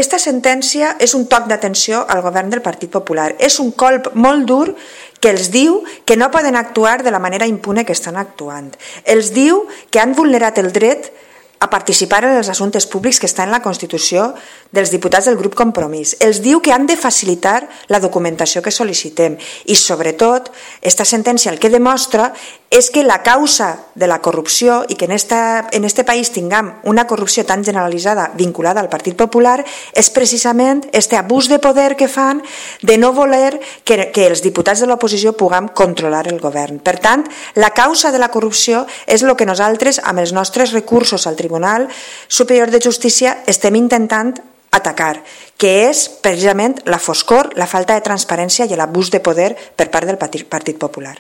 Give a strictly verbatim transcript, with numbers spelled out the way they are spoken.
esta sentència és un toc d'atenció al govern del Partit Popular. És un colp molt dur que els diu que no poden actuar de la manera impune que estan actuant. Els diu que han vulnerat el dret a participar en els assumptes públics que està en la Constitució dels diputats del grup Compromís. Els diu que han de facilitar la documentació que sol·licitem i, sobretot, esta sentència el que demostra és que la causa de la corrupció i que en esta, en este país tinguem una corrupció tan generalitzada vinculada al Partit Popular és precisament este abús de poder que fan de no voler que, que els diputats de l'oposició puguem controlar el govern. Per tant, la causa de la corrupció és el que nosaltres, amb els nostres recursos al Tribunal Superior de Justícia, estem intentant atacar, que és precisament la foscor, la falta de transparència i l'abús de poder per part del Partit Popular.